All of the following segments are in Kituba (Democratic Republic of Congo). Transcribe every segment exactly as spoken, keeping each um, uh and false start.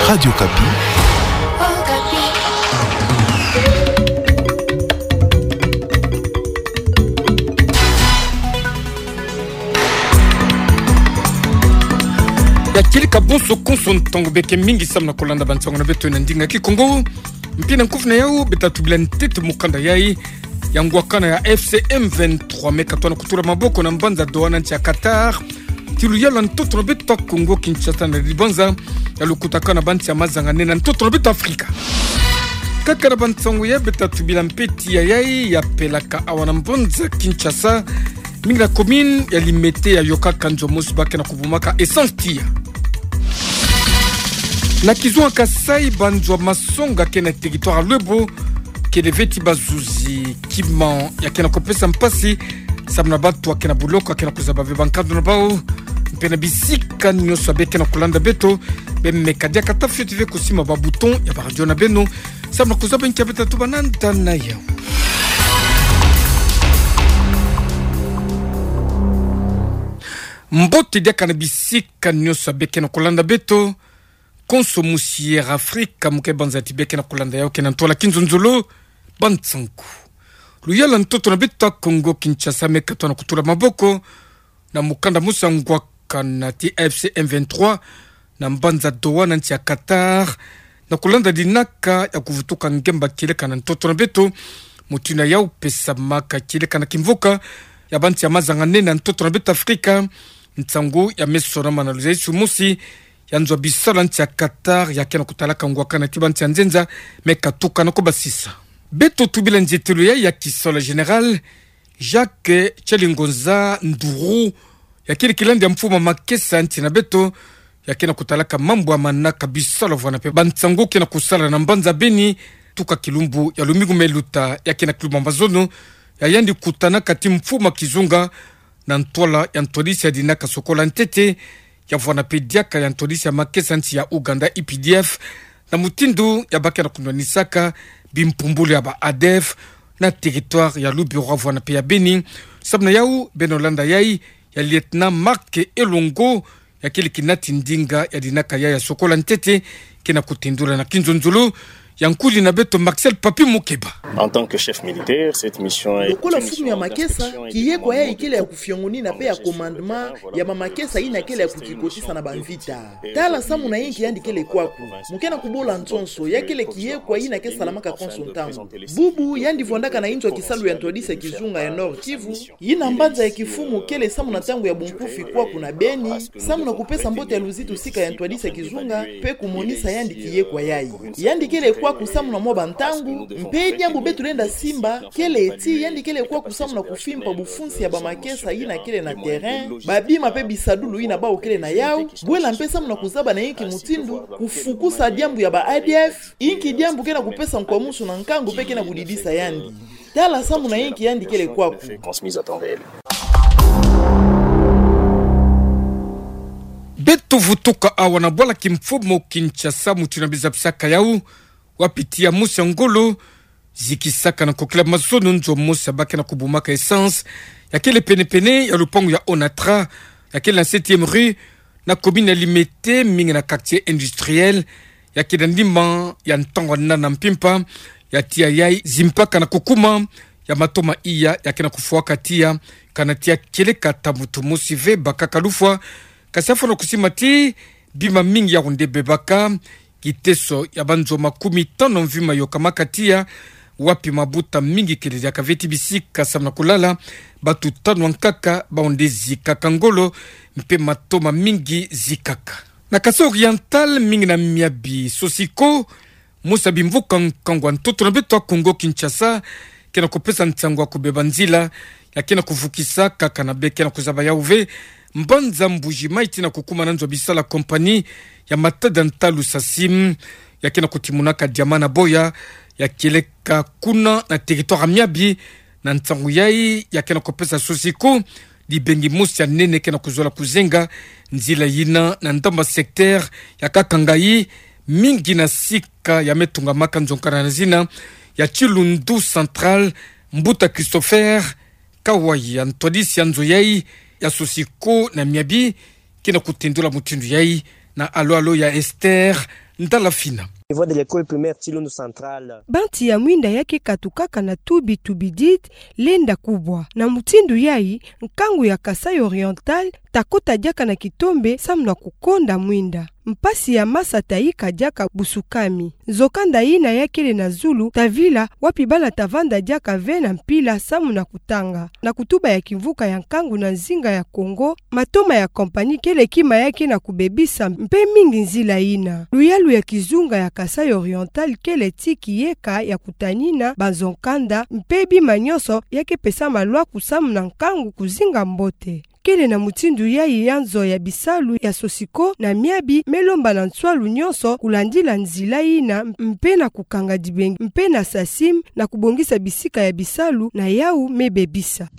Radio Okapi. Ya kieleka bonso konso, ntangu beke mingi samu na kolanda bansangu na beto na ndinga Kikongo. Mpe na nkufi na yau, beta tubila ntete mukanda yai ya ngwakana ya F C M vingt-trois me katona kutula maboko na mbanza Doha na nsi ya Qatar. Ti luyalu ya ntoto na beto Kongo Kinshasa na dibanza ya lukutakana ba nsi ya mazanga-nene na ntoto na beto Afrika. Kaka na bansangu ya beta tubila mpe ti ya yai ya pelaka awa na mbanza Kinshasa, mingi na commune ya Limete ya yokaka nzo mosi ba ke na kubumaka essence tiya. Na kizunga Kasaï, banzo ya masonga ke na territoire ya Luebo kele ve ti bazuzi kima ya ke na kupesa mpasi samu na bato ya ke na buloko ya ke na kuzaba ve bankando na bau. Mpe na bisika nyonso be ke na kulanda beto, bemeka diaka ta fioti ve kusimba ba bouton ya ba radio na beno samu na kuzaba nki ya beta tuba na nda na yau. Mbote diaka na bisika nyonso be ke na kulanda beto. Konso musi Air Afrika mu ke banza ti be ke na kulanda yau ke na ntwala kinzonzolo. Bansangu. Luyalu ya ntoto na beto Kongo Kinshasa me katona kutula maboko na mukanda mosi ya ngwakana ti F C M vingt-trois na mbanza Doha na nsi ya Qatar, na kulanda dinaka ya kuvutuka ngemba kieleka na ntoto na beto. Mutindu yau pesamaka kieleka na kimvuka ya ba nsi ya mazanga-nene na ntoto na beto Afrika. Nsangu ya me sonama na luzayisu mosi ya nzo ya bisalu ya nsi ya Qatar ya ke na kutalaka ngwakana ti ba nsi ya nzenza me katuka na kubasisa. Beto tubila nzietelo yai ya kisalu ya Général Jacques Tchalingonza Nduru, ya kieleka landi ya mfumu ya makesa ya nsi na beto, ya ke na kutalaka mambu ya manaka bisalu vwanda mpe bansangu ke na kusala na mbanza Beni, tuka kilumbu ya lumingu me luta, ya ke na kilumbu ya mazono ya yandi kutanaka ti mfumu ya kizunga na ntwala ya ntwadisi ya dinaka sokola ntete, ya vwanda mpe diaka ya ntwadisi ya makesa nsi ya Ouganda, U P D F, na mutindu ya ba ke na kunwanisaka bimpumbulu ya ba A D F na territoire ya Lubero vwanda mpe ya Beni. Samu na yau, beno landa yai ya lieutenant Marc Elongo, ya kieleka nati ndinga ya dinaka yai ya sokola ntete, ke na kutindula na kinzonzolo ya nkuli na beto Marcel Papi Mukeba. En tant que chef militaire, cette mission est une mission d'inspection et de commandement de tout ce qui se passe dans la zone. Lokola mfumu ya makesa, kiekwa yai kele ya kufiongonina mpe ya commandement ya ba makesa yina kele ya kukikotisa na bamvita. Tala samu na yinki yandi kele kwaku. Mu ke na kubola nsonso, ya kele kiekwa yina ke salamaka konso ntangu. Bubu, yandi vwandaka na inzo ya kisalu ya ntwadisi ya kizunga ya Nord-Kivu, yina mbanza ya kifumu kele samu na ntangu ya bunkufi kwaku na Beni, samu na kupesa mbote ya luzitu sika ya ntwadisi ya kizunga, mpe kumonisa yandi kiekwa yai. Yandi kele kwaku samu na mwa bantangu, mpe diambu beto lenda simba kele ti yandi kele kwaku samu na kufimpa bufunsi ya ba makesa yina kele na terrain, babima mpe bisadulu yina bawu kele na yau, bwela mpe samu na kuzaba na yinki mutindu kufukusa diambu ya ba A D F, yinki diambu ke na kupesa nkwamusu na nkangu mpe ke na kudidisa yandi. Tala samu na yinki yandi kele kwaku. Beto vutuka awa na bwala kimfumu Kinshasa, mutindu na bizapisaka yau, wapi tiya mosi ya ngolo zikisaka na nkokila mazono nzo mosi ya ba ke na kubumaka essence, ya kele pene-pene ya lupangu ya Onatra, ya kele na septième rue, na commune ya Limete, mingi na quartier industriel, ya ke na ndimba ya ntangu ya nana mpimpa, ya tiya yai zimpaka na kukuma, ya matoma iya ya ke na kufwaka tiya, kana tiya kieleka ta mutu mosi ve bakaka lufwa. Kasi afwana kusimba ti bima mingi ya onde bebaka, kiteso ya banzo makumi tanu mvimba yokamaka tiya, wapi mabuta mingi kele diaka ve ti bisika samu na kulala, batu tanu ankaka ba onde zikaka ngolo, mpe matoma mingi zikaka. Na Kasaï Oriental, mingi na miabi Sosiko, mosi ya bimvuka nkangu ya ntoto na beto ya Kongo Kinshasa, ke na kupesa nsangu ya kubeba nzila, ya ke na kuvukisa kaka na be ke na kuzaba yau ve mbanza Mbuji-Mayi tii na kukuma na nzo ya bisalu ya compagnie ya matada ntalu Sacim, ya ke na kutimunaka diamant na boya, ya kieleka kuna na territoire ya miabi. Na nsangu yai ya ke na kupesa Sosiko dibengi mosi ya nene ke na kuzola kuzenga nzila yina na ndambu ya secteur ya Kakangayi, mingi na sika ya me tungamaka nzo nkana na zina ya Tshilundu Central. Mbuta Christopher Kawaya, ntwadisi ya nzo yai ya Sosiko na miabi, ke na kutendula mutindu yai na alo-alo ya Esther Ndalafina. Niveau de l'école primaire Tsilundu Central. Banti ya mwinda ya ke katukaka na tubi-tubi dit lenda kubwa. Na mutindu yayi, nkangu ya Kasaï Oriental ta kota diaka na kitombe samu na kukonda mwinda. Mpasi ya masa ta yika diaka busukami. Nzokanda yina ya kele na zulu ta vila wapi bana ta vanda diaka ve na mpila samu na kutanga. Na kutuba ya kimvuka ya nkangu na nzinga ya Kongo, matoma ya compagnie kele kima ya ke na kubebisa mpe mingi nzila yina. Luyalu ya kizunga ya Kasaï Oriental kele ti kiyeka ya kutanina banzo-nkanda mpe bima nyonso ya ke pesa malwaku samu na nkangu kuzinga mbote. Kele na mutindu yayi ya nzo ya bisalu ya Sosiko na miabi me lomba na nswalu nyonso kulandila nzila yina mpe na kukanga dibengi mpe na SACIM na kubongisa bisika ya bisalu na yawu me bebisa.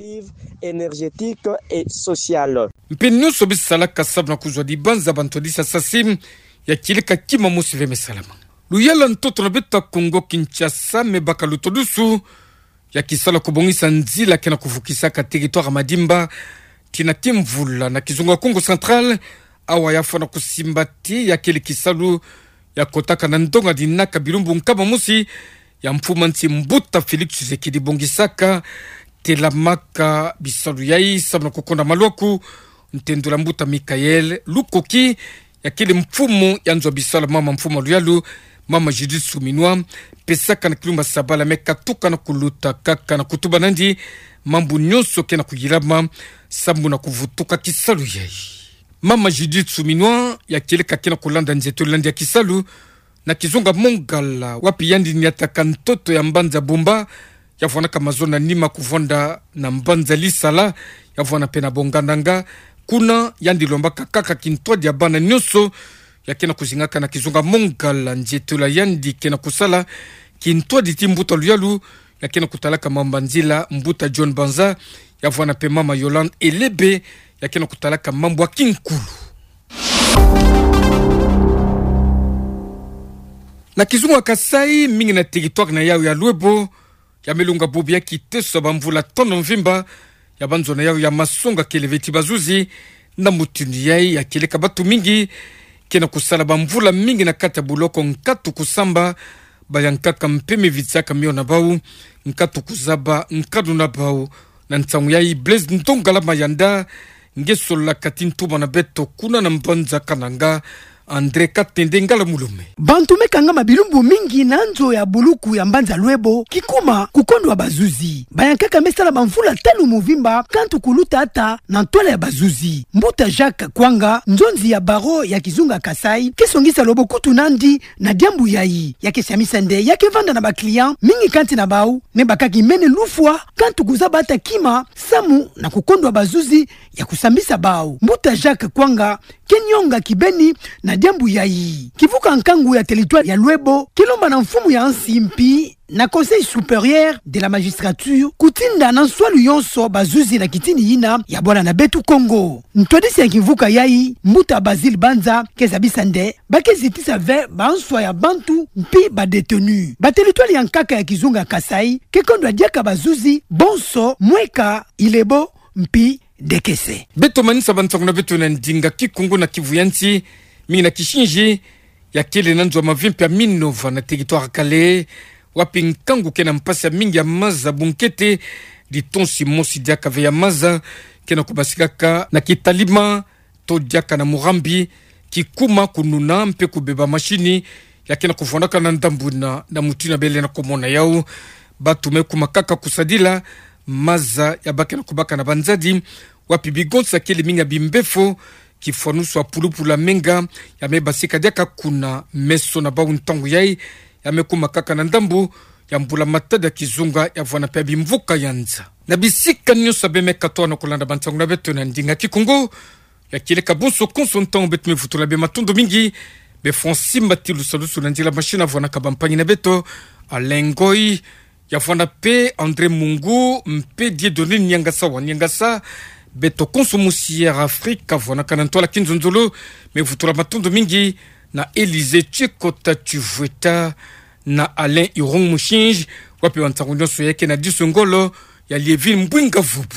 Énergétique et sociale. Mpe nyonso bisalaka samu na kuzwa dibanza bantwadisa SACIM ya kileka kima mosi ve me salama. Luyalu ya ntoto na beto ya Kongo Kinshasa me baka lutodusu ya kisalu ya kubongisa nzila ke na kuvukisaka territoire Madimba tii na kimvula na kizunga Kongo Central, awa ya fwana kusimba ti ya kele kisalu ya kotaka na ndonga dinaka bilumbu nkama mosi ya mfumu a nsi Mbuta Félix Tshisekedi bongisaka, telamaka bisalu yayi samu na kukonda malwaku, ntendula Mbuta Michaël Lukoki, ya kele mfumu ya nzo ya bisalu ya mama mfumu a luyalu, mama Judith Suminwa, pesaka na kilumbu ya sabala me katuka na kuluta kaka na kutuba nandi mambu nyonso ke na kuyilama samu na kuvutuka kisalu yayi. Mama Judith Suminwa, ya kileka ke na kulanda nzietolo nandi ya kisalu na kizunga Mongala, wapi yandi niataka ntoto ya mbanza Bumba, ya vwanaka mazono ya nima kuvwanda na mbanza Lisala, ya vwana mpe na Bongananga. Kuna yandi lombaka kaka kintwadi ya bana nyonso ya ke na kuzingaka na kizunga Mongala, nzietolo ya yandi ke na kusala, kintwadi ti mbuta luyalu ya ke na kutalaka mambu ya nzila, Mbuta John Banza, ya vwana mpe mama Yolande Elebe, ya ke na kutalaka mambu ya kinkulu. Na kizunga Kasaï, mingi na territoire na yawu ya Loebo, ya me lunga bubu ya kiteso ya bamvula tono mvimba, ya banzo na yawu ya masonga kele ve ti bazuzi. Na mutindu yayi, ya kileka bantu mingi ke na kusala bamvula mingi na kati ya buloko, nkatu kusamba, bayankaka mpe me vitisaka mio na bawu, nkatu kuzaba nkanu na bawu. Na nsangu yayi, Blaise Ndongala Mayanda, nge sololaka ti ntuma na beto kuna na mbanza Kananga, André Katende Ngala Mulume. Bantu me kangama bilumbu mingi na nzo ya buluku ya mbanza Loebo, kikuma kukondwa bazuzi. Bayankaka me sala bamvula tanu mvimba, kantu kuluta ata na ntwala ya bazuzi. Mbuta Jacques Kwanga, nzonzi ya barreau ya kizunga Kasaï, ke songisa lobo kutu nandi na diambu yayi. Ya ke siamisa nde ya ke vanda na ba clients mingi kati na bawu me baka kimene lufwa, kantu kuzaba ata kima samu na kukondwa bazuzi ya kusambisa bawu. Mbuta Jacques Kwanga ke nyonga kibeni na diambu yayi. Kivuka nkangu ya territoire ya Loebo ke lomba na mfumu ya nsi mpi na Conseil supérieur de la magistrature kutinda na nswalu yonso bazuzi na kitini yina ya bwala na beto Kongo. Ntwadisi ya kivuka yayi, Mbuta Basile Banza, ke zabisa nde ba ke zitisa ve banswa ya bantu mpi ba détenus. Ba territoire ya nkaka ya kizunga Kasaï ke kondwa diaka bazuzi bonso mweka, Ilebo mpi Dekese. Beto manisa bansangu na beto na ndinga Kikongo na Kivu ya nsi, mingi na Kisinzi, ya kele na nzo ya mavimpi ya Minova na territoire Kale, wapi nkangu ke na mpasi ya mingi ya maza, bunkete litonsi mosi diaka ve ya maza ke na kubasikaka na Kitalima to diaka na Murambi, kikuma kununa mpe kubeba mashini ya ke na kuvwandaka na ndambu yina. Na mutindu yina bele na kumona yawu, bantu me kuma kaka kusadila maza ya ba ke na kubaka na banzadi, wapi bigonsa kele mingi ya bimbefo, kifwanusu ya pulupulu ya menga, ya me basika diaka kuna. Meso na bawu ntangu yayi ya me kuma kaka na ndambu ya mbula matadi ya kizunga, ya vwana mpe ya bimvuka ya nza. Na bisika nyonso ya beno me katoa na kulanda bansangu na beto na ndinga Kikongo, ya kileka bonso konso ntangu, beto me vutula beno matondo mingi. Beno fwa simba ti lusalusu na nzila mashini, ya vwanaka bampangi na beto, Alain Ngoy, ya vwana mpe André Mungu, mpe Dieudonné Niangasa wa Niangasa. Beto konso musi Air Afrique, ya vwanaka na ntwala kinzonzolo, me vutula matondo mingi, na Élysée Tchikota Tchivweta, na Alain Irung Mushinji, wapi bansangu nyonso ya ke na diso ngolo, ya Lievine Mbwinga Vubu.